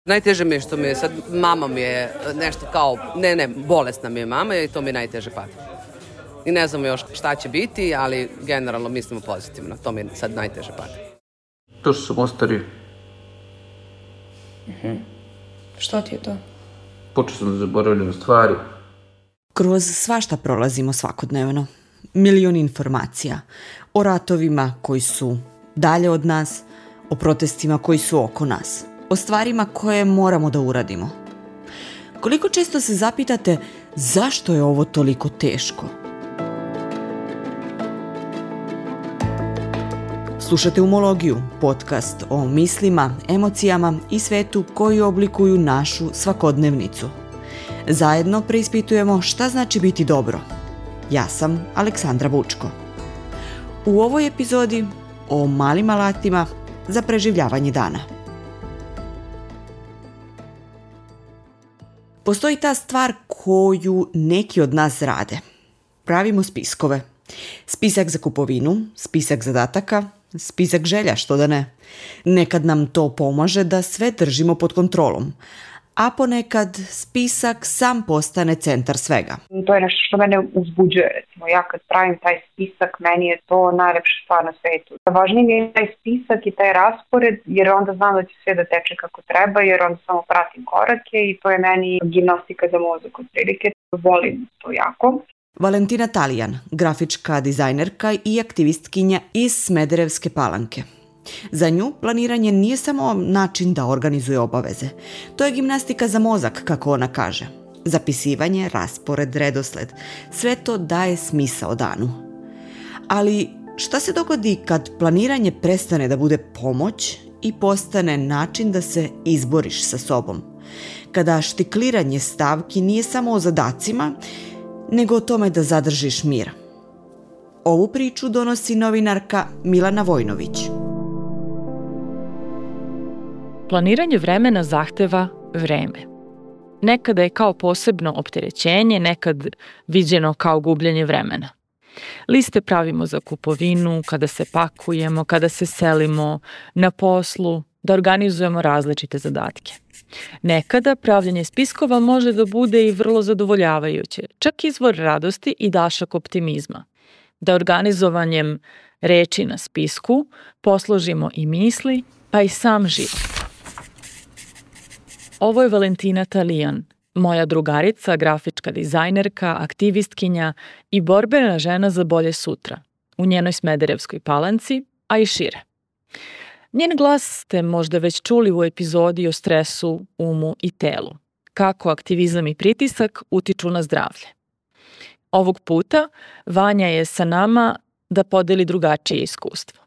Najteže mi je što mi je sad, mama mi je nešto kao, bolesna mi je mama i to mi je najteže pada. I ne znamo još šta će biti, ali generalno mislimo pozitivno. To mi je sad najteže pada. To što sam ostario. Što ti je to? Počeo sam da zaboravljam stvari. Kroz svašta prolazimo svakodnevno. Milion informacija. O ratovima koji su dalje od nas, o protestima koji su oko nas, o stvarima koje moramo da uradimo. Koliko često se zapitate zašto je ovo toliko teško? Slušate Umologiju, podcast o mislima, emocijama i svetu koji oblikuju našu svakodnevnicu. Zajedno preispitujemo šta znači biti dobro. Ja sam Aleksandra Bučko. U ovoj epizodi o malim alatima za preživljavanje dana. Postoji ta stvar koju neki od nas rade. Pravimo spiskove. Spisak za kupovinu, spisak zadataka, spisak želja, što da ne. Nekad nam to pomaže da sve držimo pod kontrolom, a ponekad spisak sam postane centar svega. To je nešto što mene uzbuđuje, recimo. Ja kad pravim taj spisak, meni je to najlepša stvar na svetu. Važniji mi je taj spisak i taj raspored, jer onda znam da će sve da teče kako treba, jer onda samo pratim korake i to je meni gimnastika za mozak otprilike. Volim to jako. Valentina Talijan, grafička dizajnerka i aktivistkinja iz Smederevske Palanke. Za nju planiranje nije samo način da organizuje obaveze. To je gimnastika za mozak, kako ona kaže. Zapisivanje, raspored, redosled. Sve to daje smisao danu. Ali šta se dogodi kad planiranje prestane da bude pomoć i postane način da se izboriš sa sobom? Kada štikliranje stavki nije samo o zadacima, nego o tome da zadržiš mir. Ovu priču donosi novinarka Milana Vojnović. Planiranje vremena zahteva vreme. Nekada je kao posebno opterećenje, nekad viđeno kao gubljenje vremena. Liste pravimo za kupovinu, kada se pakujemo, kada se selimo, na poslu, da organizujemo različite zadatke. Nekada pravljenje spiskova može da bude i vrlo zadovoljavajuće, čak izvor radosti i dašak optimizma. Da organizovanjem reči na spisku posložimo i misli, pa i sam život. Ovo je Valentina Talijan, moja drugarica, grafička dizajnerka, aktivistkinja i borbena žena za bolje sutra, u njenoj Smederevskoj Palanci, a i šire. Njen glas ste možda već čuli u epizodi o stresu, umu i telu, kako aktivizam i pritisak utiču na zdravlje. Ovog puta Vanja je sa nama da podeli drugačije iskustvo.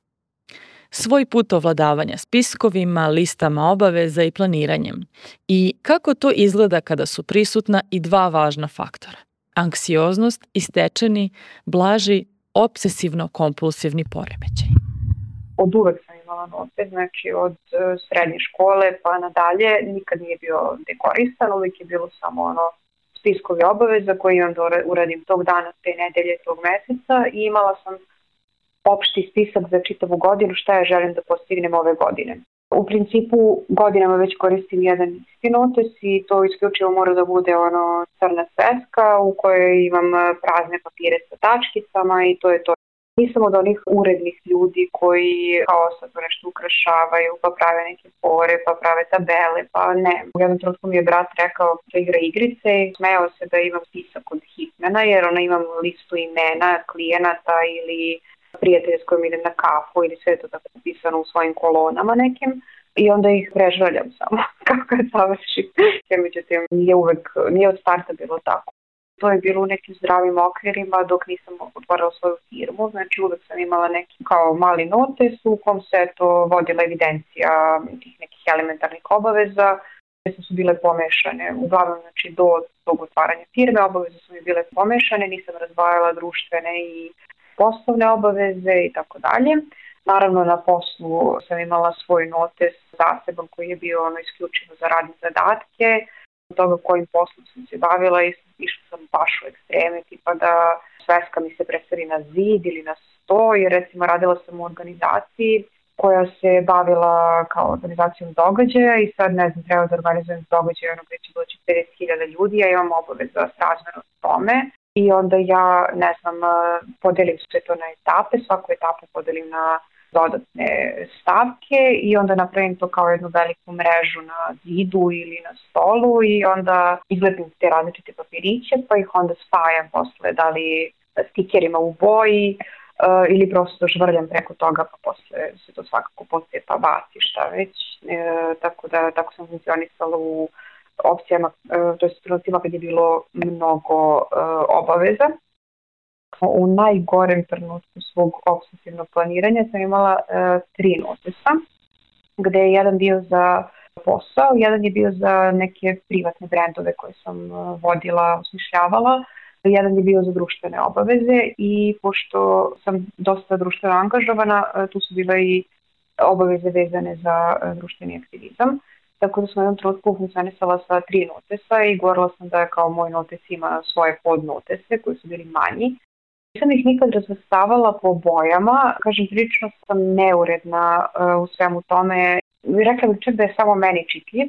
Svoj put ovladavanja spiskovima, listama obaveza i planiranjem. I kako to izgleda kada su prisutna i dva važna faktora. Anksioznost i stečeni, blaži, obsesivno-kompulsivni poremećaj. Od uvek sam imala note, znači od srednje škole pa nadalje, nikad nije bio dekorisan, uvijek je bilo samo spiskovi obaveza koji imam da uradim tog dana, te nedelje, tog meseca i imala sam opšti spisak za čitavu godinu šta ja želim da postignem ove godine. U principu godinama već koristim jedan isti notes i to isključivo mora da bude crna sveska u kojoj imam prazne papire sa tačkicama i to je to. Nisam od onih urednih ljudi koji kao sad nešto ukrašavaju, pa prave neke fore, pa prave tabele, pa ne. U jednom trenutku mi je brat rekao da igra igrice i smejao se da imam spisak od hitmena jer imam listu imena klijenata ili prijatelja s kojim idem na kafu ili sve to tako pisano u svojim kolonama nekim i onda ih prežvaljam samo kako je završim. Jer međutim nije od starta bilo tako. To je bilo u nekim zdravim okvirima dok nisam otvorila svoju firmu, znači uvek sam imala neki kao mali notes u kom se to vodila evidencija tih nekih elementarnih obaveza koje su bile pomešane. Uglavnom, znači do tog otvaranja firme obaveze su mi bile pomešane, nisam razdvajala društvene i poslovne obaveze i tako dalje. Naravno na poslu sam imala svoj notes zaseban koji je bio isključivo za radne zadatke, toga kojim poslom sam se bavila i išla sam baš u ekstreme, tipa da sveska mi se preseli na zid ili na sto, jer recimo radila sam u organizaciji koja se bavila kao organizacijom događaja i sad ne znam, treba da organizujem događaje gdje će doći 50.000 ljudi, ja imam obavezu srazmjerno tome i onda ja, ne znam, podelim sve to na etape, svaku etapu podelim na dodatne stavke i onda napravim to kao jednu veliku mrežu na zidu ili na stolu i onda izlepim te različite papiriće pa ih onda spajam posle, da li stikerima u boji ili prosto žvrljam preko toga pa posle se to svakako poslije pa baci šta već. Tako sam funkcionisala u opcijama, to je trenucima kad je bilo mnogo obaveza. U najgorem trenutku svog obsesivnog planiranja sam imala 3 notesa, gde je jedan bio za posao, jedan je bio za neke privatne brendove koje sam vodila, osmišljavala, jedan je bio za društvene obaveze i pošto sam dosta društveno angažovana, tu su bile i obaveze vezane za društveni aktivizam. Tako da sam u jednom trenutku funkcionisala sa 3 notesa i govorila sam da kao moj notes ima svoje podnotese koji su bili manji. Nisam ih nikad razvrstavala po bojama, kažem, prilično sam neuredna u svemu tome. Rekla bih čak da je samo meni čitljiv.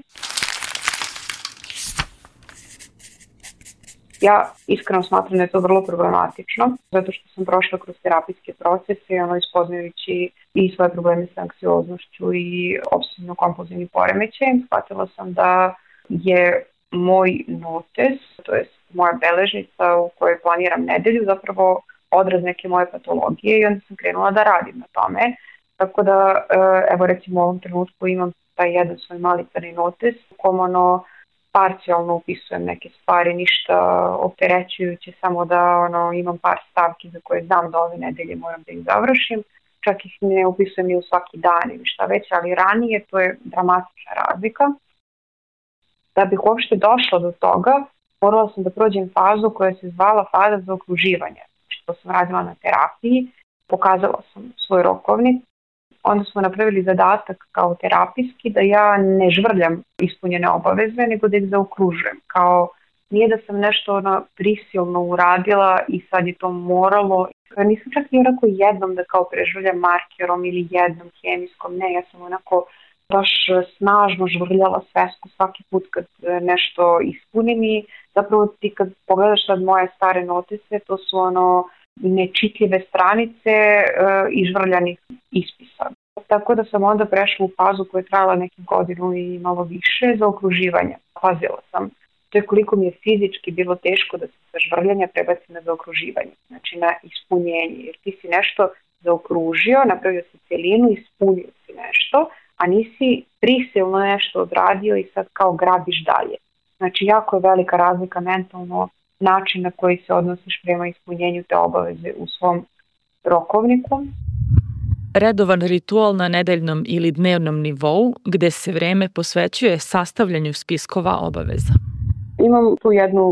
Ja iskreno smatram da je to vrlo problematično, zato što sam prošla kroz terapijske procese, ispoznajući i svoje probleme sa anksioznošću i obsesivno-kompulzivnim poremećajem. Shvatila sam da je moj notes, to je moja beležnica u kojoj planiram nedelju, zapravo odraz neke moje patologije i onda sam krenula da radim na tome. Tako da, evo recimo u ovom trenutku imam taj jedan svoj mali crni notes u kom parcijalno upisujem neke stvari, ništa opterećujuće, samo da imam par stavki za koje znam da ove nedelje moram da ih završim. Čak ih ne upisujem ni u svaki dan ili šta već, ali ranije to je dramatična razlika. Da bih uopšte došla do toga, morala sam da prođem fazu koja se zvala faza zaokruživanja. To sam radila na terapiji, pokazala sam svoj rokovnik, onda smo napravili zadatak kao terapijski da ja ne žvrljam ispunjene obaveze, nego da ih zaokružujem. Kao nije da sam nešto prisilno uradila i sad je to moralo. Nisam čak ni onako jednom da kao prežvrljam markerom ili jednom hemijskom, ne, ja sam onako baš snažno žvrljala svesku svaki put kad nešto ispunim i zapravo ti kad pogledaš sad moje stare notise, to su nečitljive stranice i žvrljanih ispisa. Tako da sam onda prešla u fazu koja je trajala neku godinu i malo više za okruživanje. Pazila sam. To je koliko mi je fizički bilo teško da se sa žvrljanja prebacim na zaokruživanje, znači na ispunjenje. Jer ti si nešto zaokružio, napravio si celinu, ispunio si nešto, a nisi prisilno nešto odradio i sad kao grabiš dalje. Znači jako je velika razlika mentalno način na koji se odnosiš prema ispunjenju te obaveze u svom rokovniku. Redovan ritual na nedeljnom ili dnevnom nivou gde se vreme posvećuje sastavljanju spiskova obaveza. Imam tu jednu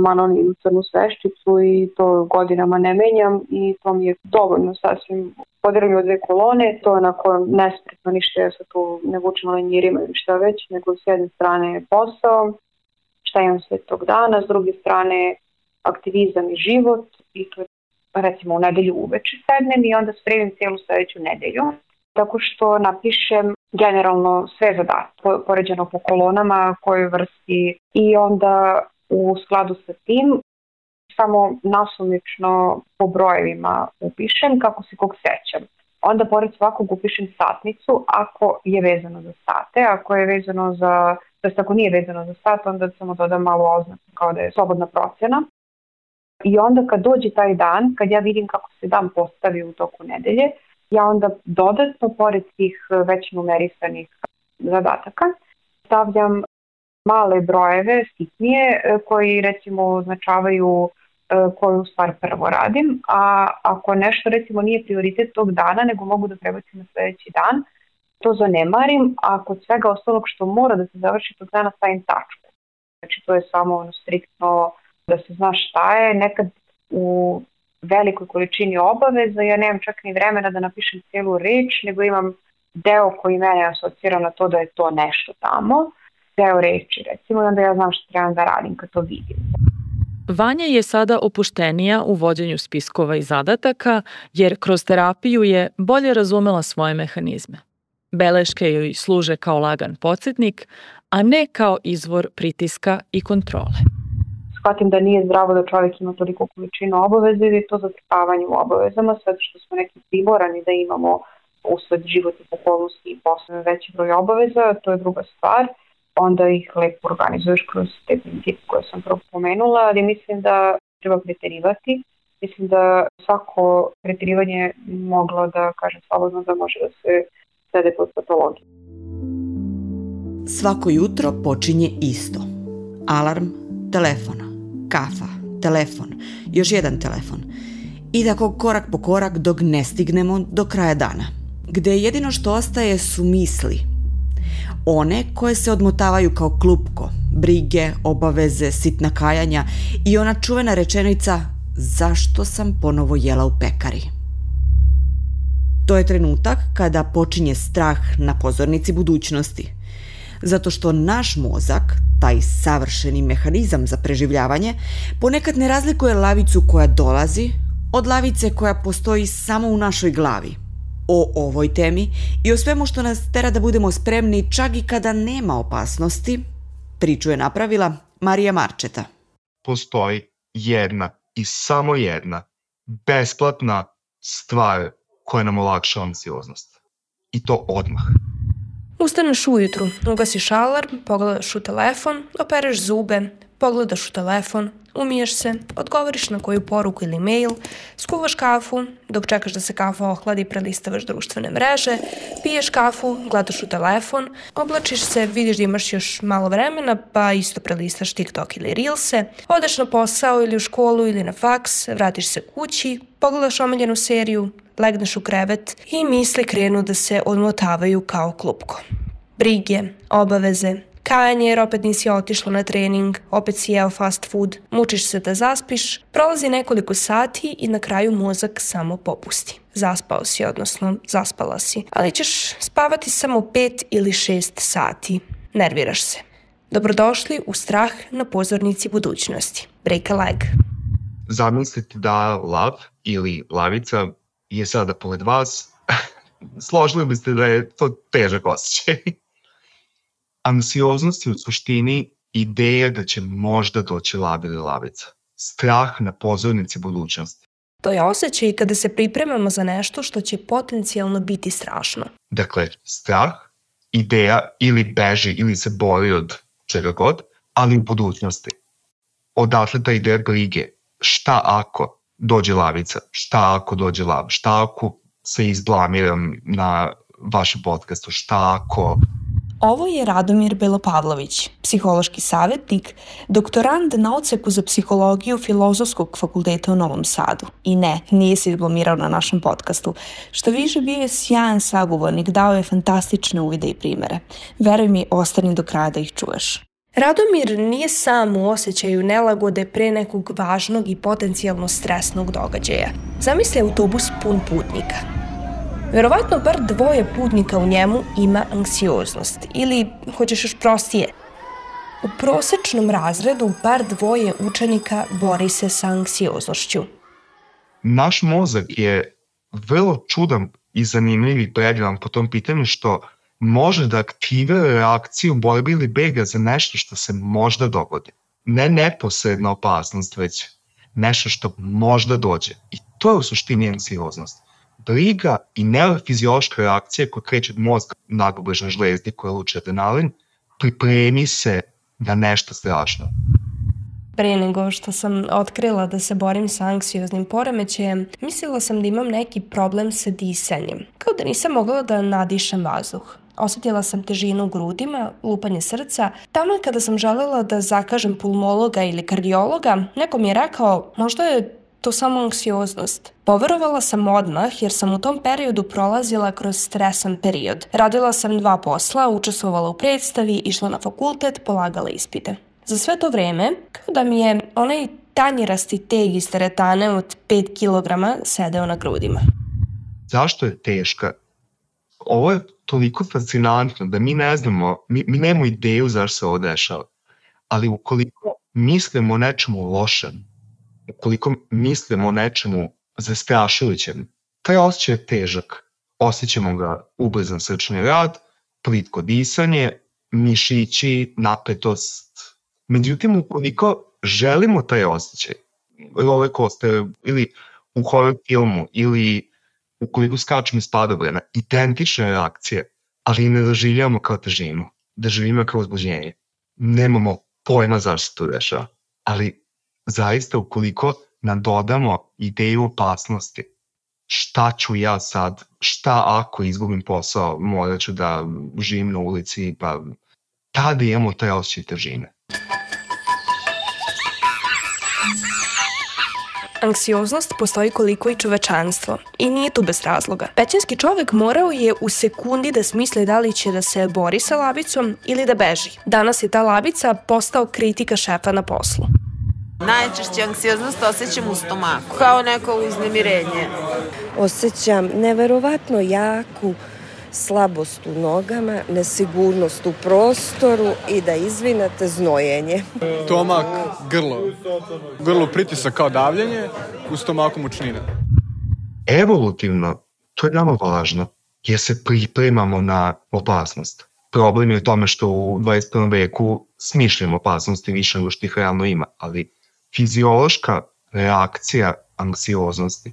anonimnu crnu sveščicu i to godinama ne menjam i to mi je dovoljno sasvim. Podelim od 2 kolone, to je onako nespretno, ništa ja sad tu ne vučem lenjirima ili šta već, nego s jedne strane je posao, šta imam sve tog dana, s druge strane aktivizam i život i to je recimo u nedelju uveče sednem i onda spremim cijelu sledeću nedelju. Tako što napišem generalno sve zadatke, poređeno po kolonama, kojoj vrsti i onda u skladu sa tim samo nasumično po brojevima upišem kako se kog sećam. Onda pored svakog upišem satnicu ako je vezano za sate, ako je vezano za, ako nije vezano za sat, onda samo dodam malo oznaku kao da je slobodna procena. I onda kad dođe taj dan, kad ja vidim kako se dan postavi u toku nedelje, ja onda dodatno, pored tih već numerisanih zadataka, stavljam male brojeve, sitnije, koji recimo označavaju koju stvar prvo radim, a ako nešto recimo nije prioritet tog dana, nego mogu da prebacim na sledeći dan, to zanemarim, a kod svega ostalog što mora da se završi tog dana stavim tačku. Znači to je samo striktno da se zna šta je, nekad u velikoj količini obaveza, ja nemam čak ni vremena da napišem cijelu reč, nego imam deo koji mene asocira na to da je to nešto tamo, deo reči recimo, i onda ja znam što trebam da radim kad to vidim. Vanja je sada opuštenija u vođenju spiskova i zadataka, jer kroz terapiju je bolje razumela svoje mehanizme. Beleške joj služe kao lagan podsjetnik, a ne kao izvor pritiska i kontrole. Shvatim da nije zdravo da čovjek ima toliko količinu obaveze i to zatrpavanje u obavezama, sve što smo neki primorani da imamo usled životnih okolnosti i posle veći broj obaveza, to je druga stvar. Onda ih lepo organizuješ kroz te principe koje sam prvo pomenula, ali mislim da treba preterivati. Mislim da svako preterivanje moglo da kažem slobodno da može da se svede pod patologiju. Svako jutro počinje isto. Alarm, telefon, kafa, telefon, još jedan telefon. I tako korak po korak dok ne stignemo do kraja dana, gde jedino što ostaje su misli. One koje se odmotavaju kao klupko, brige, obaveze, sitna kajanja i ona čuvena rečenica zašto sam ponovo jela u pekari. To je trenutak kada počinje strah na pozornici budućnosti. Zato što naš mozak, taj savršeni mehanizam za preživljavanje, ponekad ne razlikuje lavicu koja dolazi od lavice koja postoji samo u našoj glavi. O ovoj temi i o svemu što nas tera da budemo spremni čak i kada nema opasnosti, priču je napravila Marija Marčeta. Postoji jedna i samo jedna besplatna stvar koja nam olakša anksioznost. I to odmah. Ustaneš ujutru, ugasiš alarm, pogledaš u telefon, opereš zube, pogledaš u telefon, umiješ se, odgovoriš na koju poruku ili mail, skuvaš kafu, dok čekaš da se kafa ohladi, prelistavaš društvene mreže, piješ kafu, gledaš u telefon, oblačiš se, vidiš da imaš još malo vremena, pa isto prelistaš TikTok ili Reelse, odeš na posao ili u školu ili na faks, vratiš se kući, pogledaš omiljenu seriju, legneš u krevet i misli krenu da se odmotavaju kao klupko. Brige, obaveze, kajanje jer opet nisi otišla na trening, opet si jeo fast food, mučiš se da zaspiš, prolazi nekoliko sati i na kraju mozak samo popusti. Zaspao si, odnosno zaspala si, ali ćeš spavati samo 5 ili 6 sati. Nerviraš se. Dobrodošli u strah na pozornici budućnosti. Break a leg. Zamislite da lav ili lavica je sada pored vas, složili biste da je to težak osjećaj. Anksioznost je u suštini ideja da će možda doći lav ili lavica. Strah na pozornici budućnosti. To je osjećaj kada se pripremamo za nešto što će potencijalno biti strašno. Dakle, strah, ideja ili beži ili se bori od čega god, ali u budućnosti. Odatle ta ideja brige. Šta ako dođe lavica? Šta ako dođe lav? Šta ako se izblamiram na vašem podcastu? Šta ako... Ovo je Radomir Belopavlović, psihološki savjetnik, doktorand na odseku za psihologiju Filozofskog fakulteta u Novom Sadu. I ne, nije se izblamirao na našem podcastu. Što više, bio je sjajan sagovornik, dao je fantastične uvide i primere. Veruj mi, ostani do kraja da ih čuješ. Radomir nije sam u osjećaju nelagode pre nekog važnog i potencijalno stresnog događaja. Zamisli autobus pun putnika. Verovatno bar 2 putnika u njemu ima anksioznost ili, hoćeš još prostije, u prosečnom razredu bar 2 učenika bori se sa anksioznošću. Naš mozak je vrlo čudan i zanimljiv i predivan po tom pitanju što može da aktivira reakciju borbe ili bega za nešto što se možda dogodi. Ne neposredna opasnost, već nešto što možda dođe. I to je u suštini anksioznost. Briga i neurofiziološka reakcija koja kreće od mozga nadobležne žlezde koja luči adrenalin, pripremi se na nešto strašno. Pre nego što sam otkrila da se borim sa anksioznim poremećajem, mislila sam da imam neki problem sa disanjem, kao da nisam mogla da nadišem vazduh. Osjetila sam težinu u grudima, lupanje srca. Taman kada sam želela da zakažem pulmologa ili kardiologa, neko mi je rekao, možda je to samo anksioznost. Poverovala sam odmah jer sam u tom periodu prolazila kroz stresan period. Radila sam 2 posla, učestvovala u predstavi, išla na fakultet, polagala ispite. Za sve to vreme, kao da mi je onaj tanjirasti teg iz teretane od 5 kg sedeo na grudima. Zašto je teška? Ovo je toliko fascinantno da mi ne znamo, mi nemamo ideju zašto se ovo dešava. Ali ukoliko mislimo o nečemu lošem, ukoliko mislimo o nečemu zastrašujućem, taj osjećaj je težak. osjećamo ga ubrzan srčani rad, plitko disanje, mišići, napetost. Međutim, ukoliko želimo taj osjećaj, roller coaster ili u horror filmu ili ukoliko skačemo iz padobrana, identične reakcije, ali ne doživljamo kao težinu, doživljamo kao uzbuđenje. Nemamo pojma zašto se to dešava, ali zaista ukoliko nadodamo ideju opasnosti, šta ću ja sad, šta ako izgubim posao, morat ću da živim na ulici, pa tada imamo taj osjećaj težine. Anksioznost postoji koliko i čovečanstvo i nije tu bez razloga. Pećinski čovek morao je u sekundi da smisli da li će da se bori sa lavicom ili da beži. Danas je ta lavica postao kritika šefa na poslu. Najčešće anksioznost osjećam u stomaku, kao neko uznemirenje. Osjećam neverovatno jaku slabost u nogama, nesigurnost u prostoru i da izvinete znojenje. Stomak, grlo pritisak kao davljenje, u stomaku mučnina. Evolutivno, to je nama važno, jer se pripremamo na opasnost. Problem je u tome što u 21. veku smišljamo opasnosti više nego što ih realno ima, ali fiziološka reakcija anksioznosti,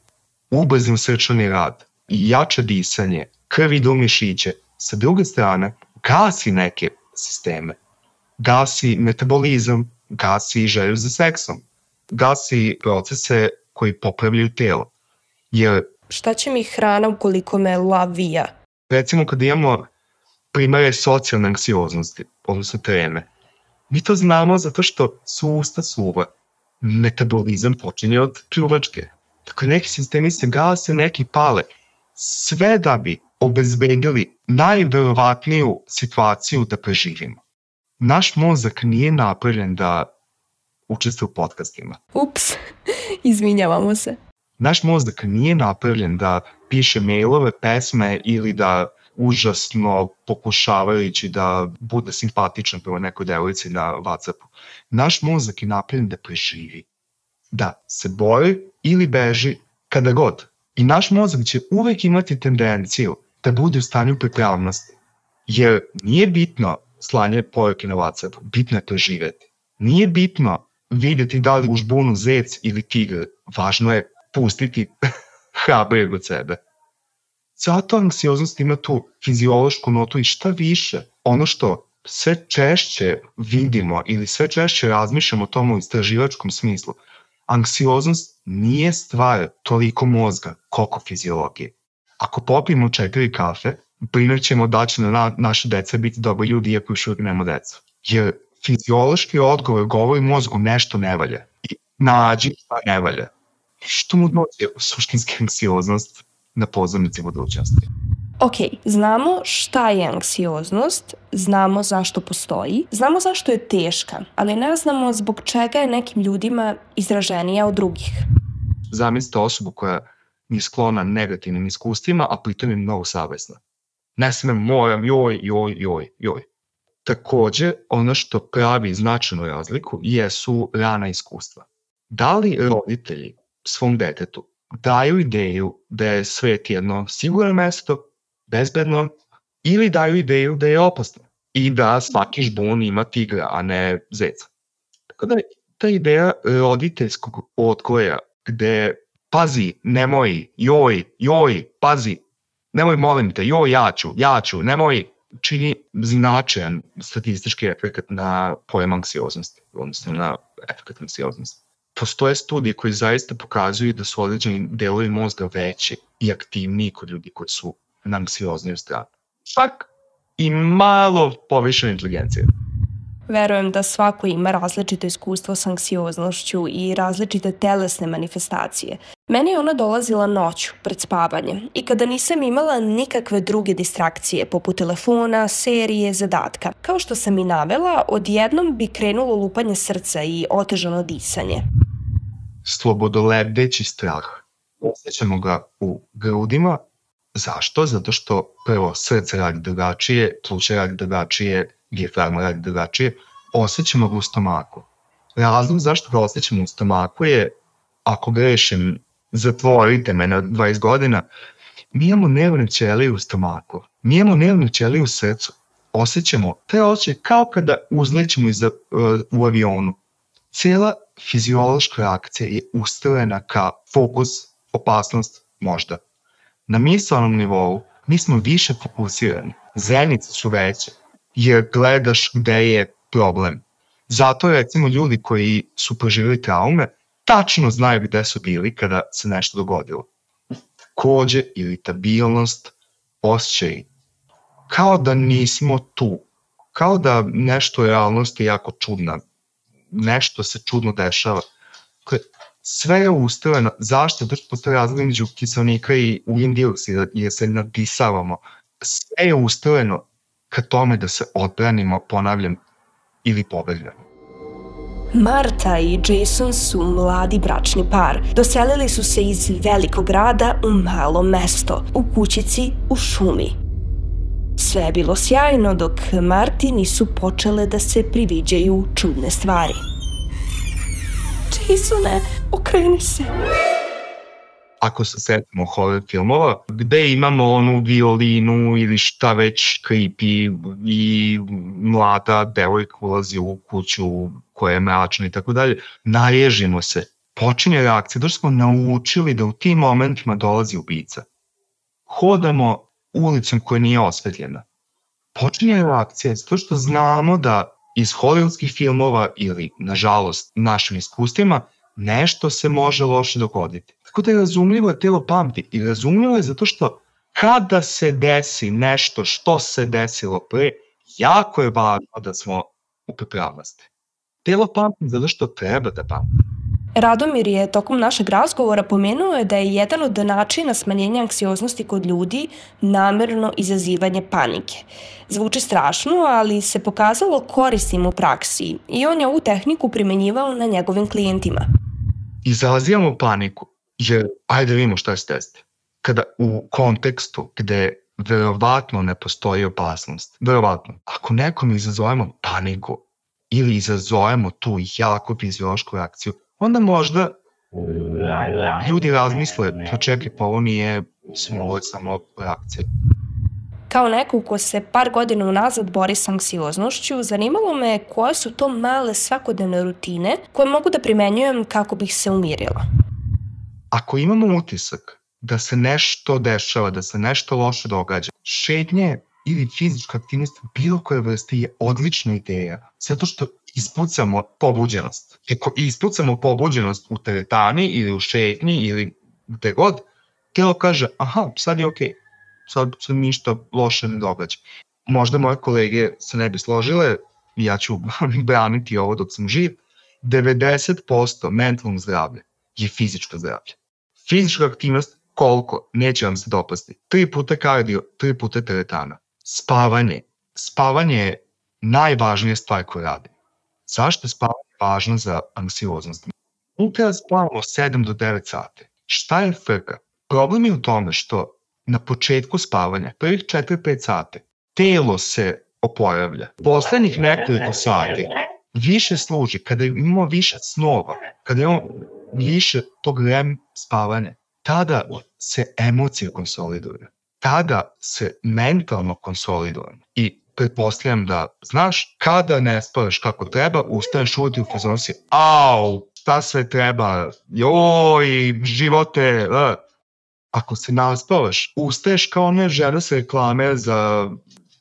ubrzan srčani rad i jače disanje, krv ide u mišiće, sa druge strane gasi neke sisteme, gasi metabolizam, gasi želju za seksom, gasi procese koji popravljaju telo. Jer, šta će mi hrana ukoliko me lavija? Recimo kad imamo primere socijalne anksioznosti, odnosno treme, mi to znamo zato što su usta suva. Metabolizam počinje od pljuvačke. Dakle, neki sistemi se gase, neki pale. Sve da bi obezbedili najverovatniju situaciju da preživimo. Naš mozak nije napravljen da učestvuje u podcastima. Ups, izvinjavamo se. Naš mozak nije napravljen da piše mailove, pesme ili da užasno pokušavajući da bude simpatičan prema nekoj devojci na WhatsAppu. Naš mozak je napravljen da preživi, da se bori ili beži kada god. I naš mozak će uvek imati tendenciju da bude u stanju pripravnosti. Jer nije bitno slanje poruke na WhatsAppu, bitno je to živeti. Nije bitno vidjeti da li u žbunu zec ili tigr, važno je pustiti hrabrijeg od sebe. Zato anksioznost ima tu fiziološku notu i šta više, ono što sve češće vidimo ili sve češće razmišljamo o tom u istraživačkom smislu, anksioznost nije stvar toliko mozga koliko fiziologije. Ako popijemo 4 kafe, brinut ćemo da će naše deca biti dobri ljudi iako još uvijek nema deca. Jer fiziološki odgovor govori mozgu nešto ne valja. I nađi šta ne valja. Što mu dođe suštinska anksioznost na pozornici budućnosti? Ok, znamo šta je anksioznost, znamo zašto postoji, znamo zašto je teška, ali ne znamo zbog čega je nekim ljudima izraženija od drugih. Zamislite osobu koja je sklona negativnim iskustvima, a pritom je mnogo savesna. Ne smem, moram, joj. Takođe, ono što pravi značajnu razliku jesu rana iskustva. Da li roditelji svom detetu daju ideju da je svet jedno sigurno mesto, bezbedno, ili daju ideju da je opasno i da svaki žbun ima tigra, a ne zeca. Tako da ta ideja roditeljskog odgoja gde pazi, nemoj, joj, pazi, nemoj, molim te, joj, ja ću, nemoj, čini značajan statistički efekt na pojam anksioznosti, odnosno na efekt anksioznosti. Postoje studije koje zaista pokazuju da su određeni delovi mozga veći i aktivniji kod ljudi koji su na anksioznoj strani. Čak i malo povišene inteligencije. Verujem da svako ima različito iskustvo s anksioznošću i različite telesne manifestacije. Meni je ona dolazila noću, pred spavanje, i kada nisam imala nikakve druge distrakcije, poput telefona, serije, zadatka. Kao što sam i navela, odjednom bi krenulo lupanje srca i otežano disanje. Slobodolebdeći strah. Osjećamo ga u grudima. Zašto? Zato što prvo srce radi drugačije, pluća radi drugačije, dijafragma radi drugačije. Osjećamo ga u stomaku. Razlog zašto ga osjećamo u stomaku je, ako grešim, zatvorite me na 20 godina, Mi imamo nervne ćelije u stomaku, mi imamo nervne ćelije u srcu. Osjećamo te osjećaje kao kada uzlećemo u avionu. Cijela fiziološka reakcija je ustrojena ka fokus, opasnost, možda. Na misalnom nivou mi smo više fokusirani, zenice su veće, jer gledaš gde je problem. Zato recimo ljudi koji su proživjeli traume tačno znaju gde su bili kada se nešto dogodilo. Takođe, iritabilnost, osjećaj, kao da nismo tu, kao da nešto u realnosti je jako čudna, nešto se čudno dešava. Sve je ustrojeno. Zašto? Zato što postoji razlika između kiselnika i ugljen dioksid, jer se nadisavamo. Sve je ustrojeno ka tome da se odbranimo, ponavljam, ili pobegnemo. Marta i Jason su mladi bračni par. Doselili su se iz velikog grada u malo mesto, u kućici u šumi. Sve je bilo sjajno dok Marti nisu počele da se priviđaju čudne stvari. Jasone, okreni se. Ako se setimo horror filmova, gde imamo onu violinu ili šta već creepy i mlada devojka ulazi u kuću koja je mračna i tako dalje, naježimo se. Počinje reakcija, došto smo naučili da u tim momentima dolazi ubica. Hodamo ulicom koja nije osvetljena. Počinje reakcija, zato što znamo da iz hollywoodskih filmova ili, nažalost, našim iskustvima, nešto se može loše dogoditi. Tako da je razumljivo da telo pamti i razumljivo je zato što kada se desi nešto što se desilo pre, jako je važno da smo u pripravnosti. Telo pamti zato što treba da pamti. Radomir je tokom našeg razgovora pomenuo da je jedan od načina smanjenja anksioznosti kod ljudi namerno izazivanje panike. Zvuči strašno, ali se pokazalo korisnim u praksi i on je ovu tehniku primenjivao na njegovim klijentima. Izazivamo paniku, jer ajde vidimo šta se desi. Kada u kontekstu gde verovatno ne postoji opasnost, verovatno, ako nekom izazovemo paniku ili izazovemo tu jako fiziološku reakciju, onda možda ljudi razmisle, pa čekaj, pa ovo nije samo reakcija. Kao neko ko se par godina unazad bori s anksioznošću, zanimalo me koje su to male svakodnevne rutine koje mogu da primenjujem kako bih se umirila. Ako imamo utisak da se nešto dešava, da se nešto loše događa, šetnje ili fizička aktivnost bilo koje vrste je odlična ideja, zato što ispucamo pobuđenost. Ako ispucamo pobuđenost u teretani ili u šetnji ili gde god, telo kaže, aha, sad je okej, sad se ništa loše ne događa. Možda moje kolege se ne bi složile, ja ću braniti ovo dok sam živ, 90% mentalnog zdravlja je fizičko zdravlje. Fizička aktivnost, koliko, neće vam se dopasti. 3 puta kardio, 3 puta teretana. Spavanje. Spavanje je najvažnija stvar koju radim. Zašto je spavanje važno za anksioznost? Mi treba spavamo 7 do 9 sati. Šta je frka? Problem je u tome što na početku spavanja, prvih 4-5 sati, telo se oporavlja. Poslednjih nekoliko sati više služi, kada imamo više snova, kada imamo više tog REM spavanja, tada se emocije konsoliduju. Tada se mentalno konsolidujemo. I pretpostavljam da, znaš, kada ne spavaš kako treba, ustaneš uvijek u fazonu si, au, šta sve treba, joj, živote, Ako se naspavaš, ustaješ kao one žene sa reklame za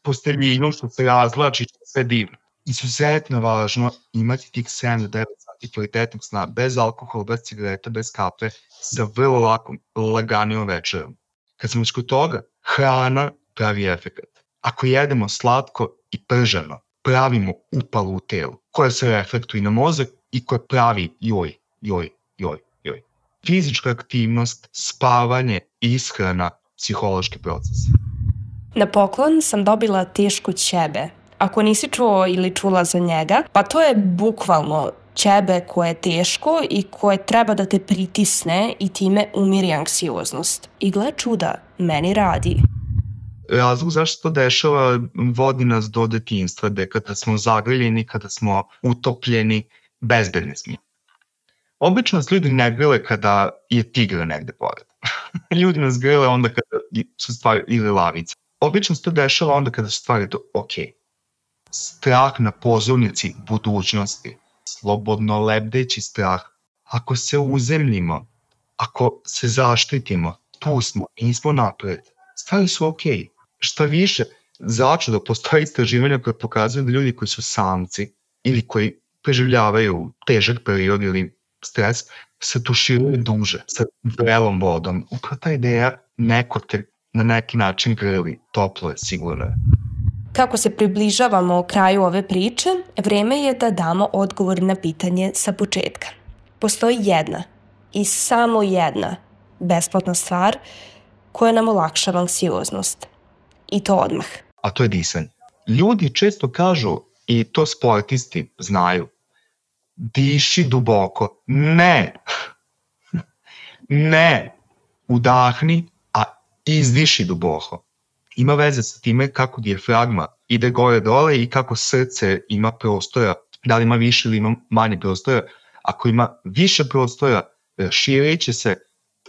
posteljinu što se razlači, što sve divno. Izuzetno važno imati tih 7 do 9 sati kvalitetnog sna, bez alkohola, bez cigareta, bez kafe, sa vrlo laganijom večerom. Kad smo kod toga, hrana pravi efekat. Ako jedemo slatko i prženo, pravimo upalu u telu, koja se reflektuje na mozak i koja pravi joj. Fizička aktivnost, spavanje, ishrana, psihološki proces. Na poklon sam dobila tešku ćebe. Ako nisi čuo ili čula za njega, pa to je bukvalno ćebe koje je teško i koje treba da te pritisne i time umiri anksioznost. I gle čuda, meni radi. Razlog zašto to dešava vodi nas do detinjstva, gde kada smo zagriljeni, kada smo utopljeni, bezbedni smo. Obično nas ljudi ne grle kada je tigra negde pored. Ljudi nas grle onda kada su stvari ili lavice. Obično se to dešava onda kada su stvari to ok. Strah na pozornici budućnosti. Slobodno lebdeći strah. Ako se uzemljimo, ako se zaštitimo, tu smo, nismo napred. Stvari su ok. Šta više, začudo postoji istraživanja koje pokazuju da ljudi koji su samci ili koji preživljavaju težak period ili stres, se tuširaju duže sa vrelom vodom. Upravo ta ideja neko te na neki način grli, toplo je, sigurno je. Kako se približavamo kraju ove priče, vreme je da damo odgovor na pitanje sa početka. Postoji jedna i samo jedna besplatna stvar koja nam olakšava anksioznost. I to odmah. A to je disanje. Ljudi često kažu, i to sportisti znaju, diši duboko. Ne. Ne. Udahni, a izdiši duboko. Ima veze sa time kako dijafragma ide gore dole i kako srce ima prostora, da li ima više ili ima manje prostora. Ako ima više prostora, širit će se.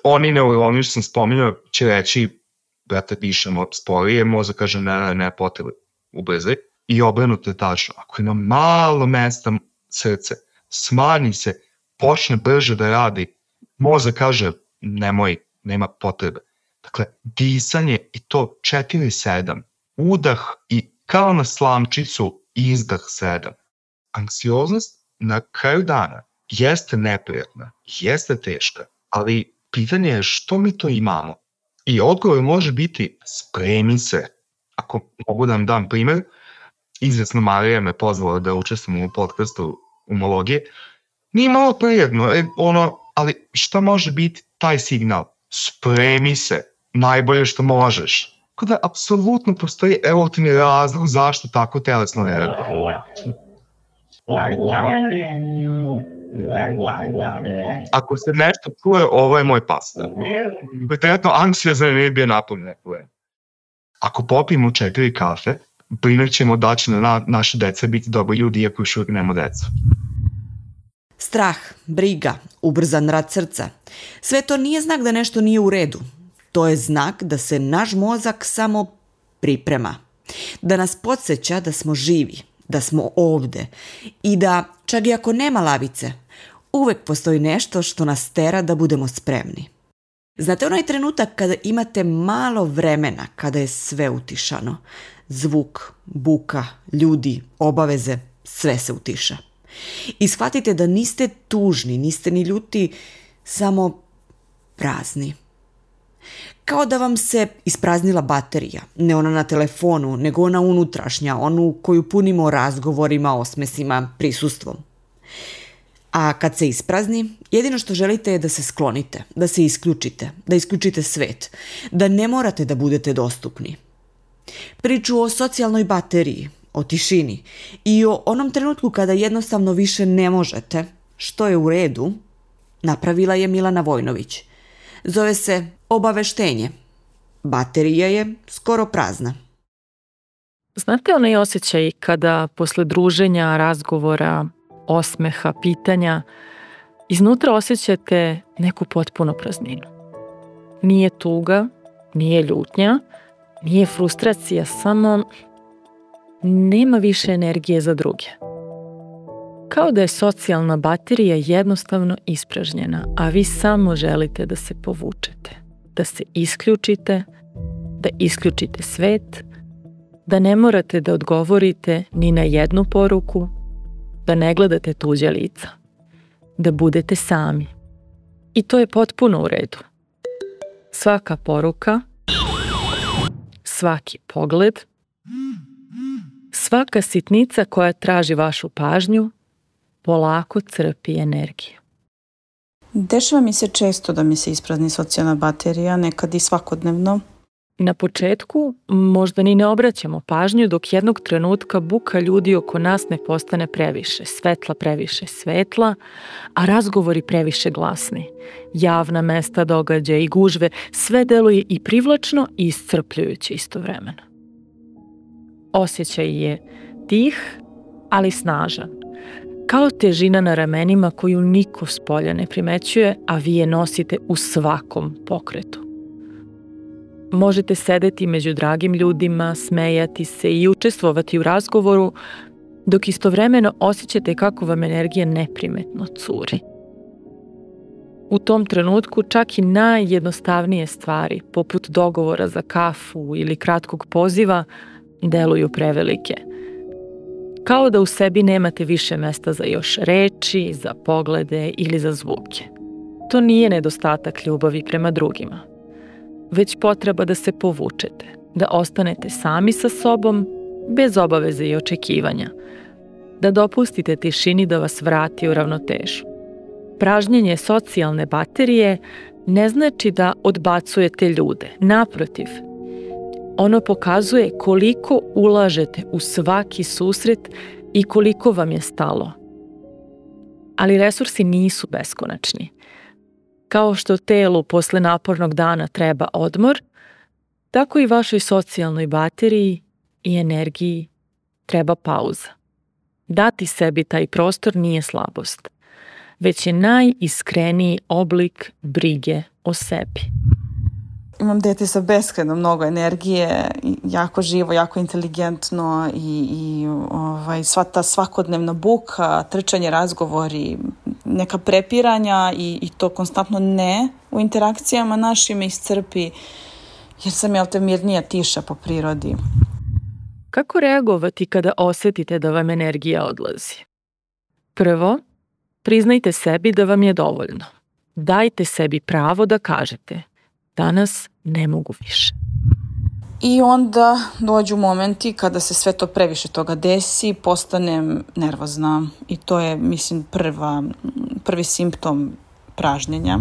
Oni neuroni što sam spominjao će reći, brate, dišemo sporije, mozak kaže ne, potrebe, ubrzaj. I obrnuto je tačno. Ako ima malo mesta srce, smanji se, počne brže da radi, mozak kaže nemoj, nema potrebe. Dakle, disanje i to 4-7, udah i kao na slamčicu izdah 7. Anksioznost na kraju dana jeste neprijatna, jeste teška, ali pitanje je što mi to imamo. I odgovor može biti spremi se. Ako mogu da vam dam primjer, izvesno Marija me pozvala da učestvujem u podcastu umologije. Nije malo prijedno, ali šta može biti taj signal? Spremi se, najbolje što možeš. Tako da, apsolutno postoji evolutivni razlog zašto tako telesno ne radi. Ako se nešto čuje, ovo je moj pastor. Pretretno anksiozan nije bio napunjen. Ako popijemo 4 kafe, primjer ćemo da će naše dece biti dobri ljudi iako još uvijek nema decu. Strah, briga, ubrzan rad srca. Sve to nije znak da nešto nije u redu. To je znak da se naš mozak samo priprema. Da nas podsjeća da smo živi, da smo ovde i da, čak i ako nema lavice, uvek postoji nešto što nas tera da budemo spremni. Znate onaj trenutak kada imate malo vremena, kada je sve utišano? Zvuk, buka, ljudi, obaveze, sve se utiša. I shvatite da niste tužni, niste ni ljuti, samo prazni. Kao da vam se ispraznila baterija, ne ona na telefonu, nego ona unutrašnja, onu koju punimo razgovorima, osmesima, prisustvom. A kad se isprazni, jedino što želite je da se sklonite, da se isključite, da isključite svet, da ne morate da budete dostupni. Priču o socijalnoj bateriji, o tišini i o onom trenutku kada jednostavno više ne možete, što je u redu, napravila je Milana Vojnović. Zove se obaveštenje. Baterija je skoro prazna. Znate onaj osjećaj kada posle druženja, razgovora, osmeha, pitanja, iznutra osjećate neku potpuno prazninu. Nije tuga, nije ljutnja, nije frustracija, samo nema više energije za druge. Kao da je socijalna baterija jednostavno ispražnjena, a vi samo želite da se povučete, da se isključite, da isključite svet, da ne morate da odgovorite ni na jednu poruku, da ne gledate tuđe lica, da budete sami. I to je potpuno u redu. Svaka poruka, svaki pogled, svaka sitnica koja traži vašu pažnju, polako crpi energiju. Dešava mi se često da mi se isprazni socijalna baterija, nekad i svakodnevno. Na početku možda ni ne obraćamo pažnju dok jednog trenutka buka ljudi oko nas ne postane previše svetla, a razgovori previše glasni. Javna mesta, događaje i gužve, sve deluje i privlačno i iscrpljujuće istovremeno. Osjećaj je tih, ali snažan. Kao težina na ramenima koju niko spolja ne primećuje, a vi je nosite u svakom pokretu. Možete sedeti među dragim ljudima, smejati se i učestvovati u razgovoru, dok istovremeno osjećate kako vam energija neprimetno curi. U tom trenutku čak i najjednostavnije stvari, poput dogovora za kafu ili kratkog poziva, deluju prevelike. Kao da u sebi nemate više mesta za još reči, za poglede ili za zvuke. To nije nedostatak ljubavi prema drugima, već potreba da se povučete, da ostanete sami sa sobom, bez obaveze i očekivanja, da dopustite tišini da vas vrati u ravnotežu. Pražnjenje socijalne baterije ne znači da odbacujete ljude. Naprotiv, ono pokazuje koliko ulažete u svaki susret i koliko vam je stalo. Ali resursi nisu beskonačni. Kao što telu posle napornog dana treba odmor, tako i vašoj socijalnoj bateriji i energiji treba pauza. Dati sebi taj prostor nije slabost, već je najiskreniji oblik brige o sebi. Imam dete sa beskrajno mnogo energije, jako živo, jako inteligentno i sva ta svakodnevna buka, trčanje, razgovori, neka prepiranja i to konstantno ne u interakcijama našim me iscrpi, jer sam ja mirnija, tiša po prirodi. Kako reagovati kada osjetite da vam energija odlazi? Prvo, priznajte sebi da vam je dovoljno. Dajte sebi pravo da kažete: danas ne mogu više. I onda dođu momenti kada se sve to previše toga desi, postanem nervozna i to je, mislim, prvi simptom pražnjenja.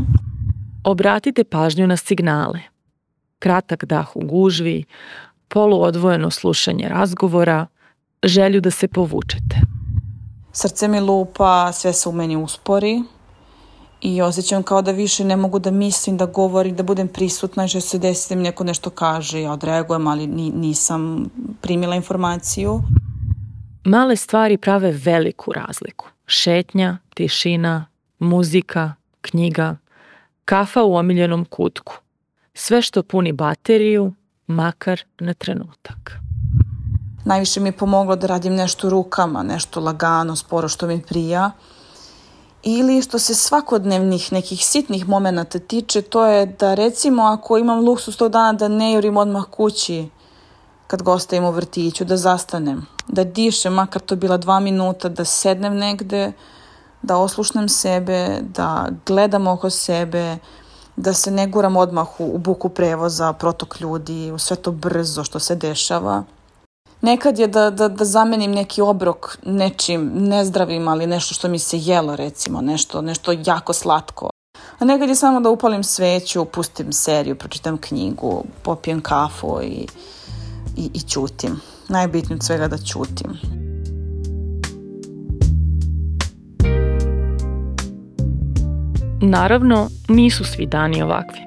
Obratite pažnju na signale. Kratak dah u gužvi, poluodvojeno slušanje razgovora, želju da se povučete. Srce mi lupa, sve se u meni uspori i osjećam kao da više ne mogu da mislim, da govorim, da budem prisutna, že se desi da mi neko nešto kaže, ja odreagujem, ali nisam primila informaciju. Male stvari prave veliku razliku. Šetnja, tišina, muzika, knjiga, kafa u omiljenom kutku. Sve što puni bateriju, makar na trenutak. Najviše mi je pomoglo da radim nešto rukama, nešto lagano, sporo što mi prija. Ili što se svakodnevnih nekih sitnih momenata tiče, to je da recimo ako imam luksus tog dana da ne jurim odmah kući kad ga ostavim u vrtiću, da zastanem, da dišem, makar to bila 2 minuta, da sednem negde, da oslušnem sebe, da gledam oko sebe, da se ne guram odmah u buku prevoza, protok ljudi, u sve to brzo što se dešava. Nekad je da zamenim neki obrok nečim nezdravim, ali nešto što mi se jelo, recimo, nešto jako slatko. A nekad je samo da upalim sveću, pustim seriju, pročitam knjigu, popijem kafu i ćutim. Najbitnije od svega da ćutim. Naravno, nisu svi dani ovakvi.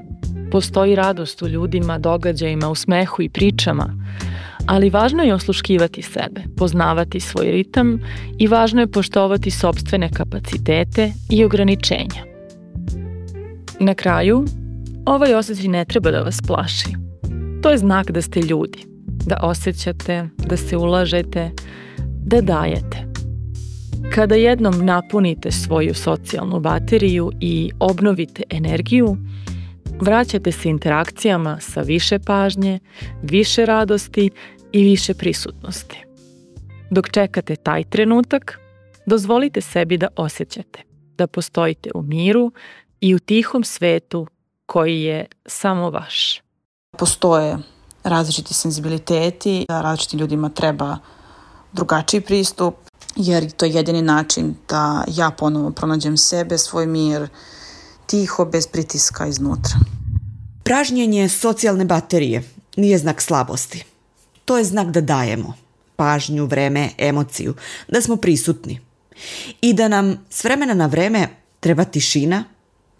Postoji radost u ljudima, događajima, u smehu i pričama, ali važno je osluškivati sebe, poznavati svoj ritam i važno je poštovati sopstvene kapacitete i ograničenja. Na kraju, ovaj osjećaj ne treba da vas plaši. To je znak da ste ljudi, da osjećate, da se ulažete, da dajete. Kada jednom napunite svoju socijalnu bateriju i obnovite energiju, vraćate se interakcijama sa više pažnje, više radosti i više prisutnosti. Dok čekate taj trenutak, dozvolite sebi da osjećate, da postojite u miru i u tihom svetu koji je samo vaš. Postoje različiti senzibiliteti, različitim ljudima treba drugačiji pristup, jer to je jedini način da ja ponovo pronađem sebe, svoj mir, tiho, bez pritiska iznutra. Pražnjenje socijalne baterije nije znak slabosti. To je znak da dajemo pažnju, vreme, emociju, da smo prisutni i da nam s vremena na vreme treba tišina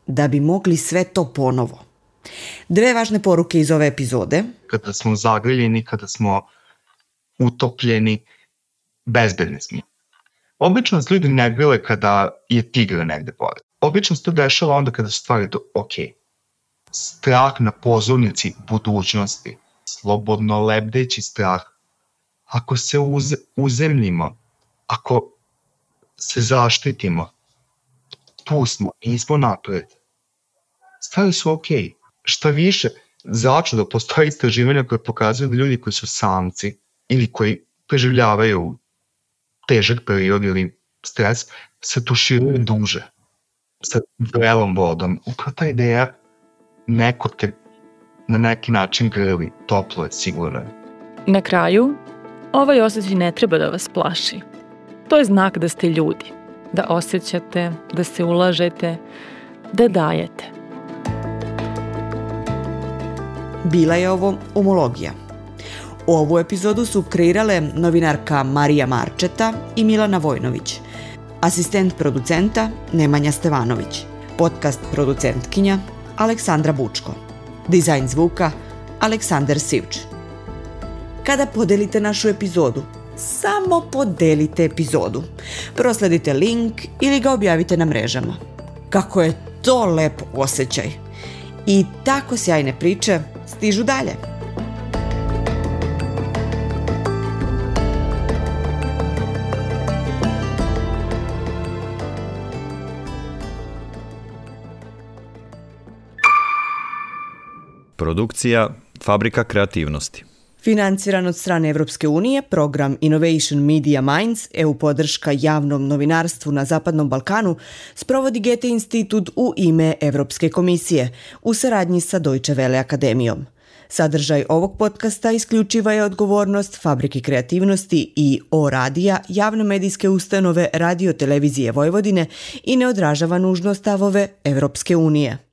da bi mogli sve to ponovo. 2 važne poruke iz ove epizode. Kada smo zagriljeni, kada smo utopljeni, bezbedni smo. Obično se ljudi ne grle kada je tigra negde pored. Obično se to dešava onda kada su stvari ok. strah na pozornici budućnosti, slobodno lebdeći strah. Ako se uzemljimo, ako se zaštitimo, tu smo, nismo napred. Stvari su okej. Šta više, začudo postoji istraživanja koje pokazuju da ljudi koji su samci ili koji preživljavaju težak period ili stres, se tuširaju duže sa vrelom vodom. Upravo ta ideja neko te na neki način grli, toplo je, sigurno je. Na kraju, ovaj osjećaj ne treba da vas plaši. To je znak da ste ljudi, da osjećate, da se ulažete, da dajete. Bila je ovo Umologija. Ovu epizodu su kreirale novinarka Marija Marčeta i Milana Vojnović, asistent producenta Nemanja Stevanović, podcast producentkinja Aleksandra Bučko, dizajn zvuka Aleksandar Sivč. Kada podelite našu epizodu, samo podelite epizodu. Prosledite link ili ga objavite na mrežama. Kako je to lep osjećaj. I tako sjajne priče stižu dalje. Produkcija Fabrika kreativnosti. Financiran od strane Evropske unije, program Innovation Media Minds, EU podrška javnom novinarstvu na Zapadnom Balkanu, sprovodi Goethe institut u ime Evropske komisije u saradnji sa Deutsche Welle akademijom. Sadržaj ovog podcasta isključiva je odgovornost Fabrike kreativnosti i O-radija, javne medijske ustanove Radio Televizije Vojvodine i ne odražava nužno stavove Evropske unije.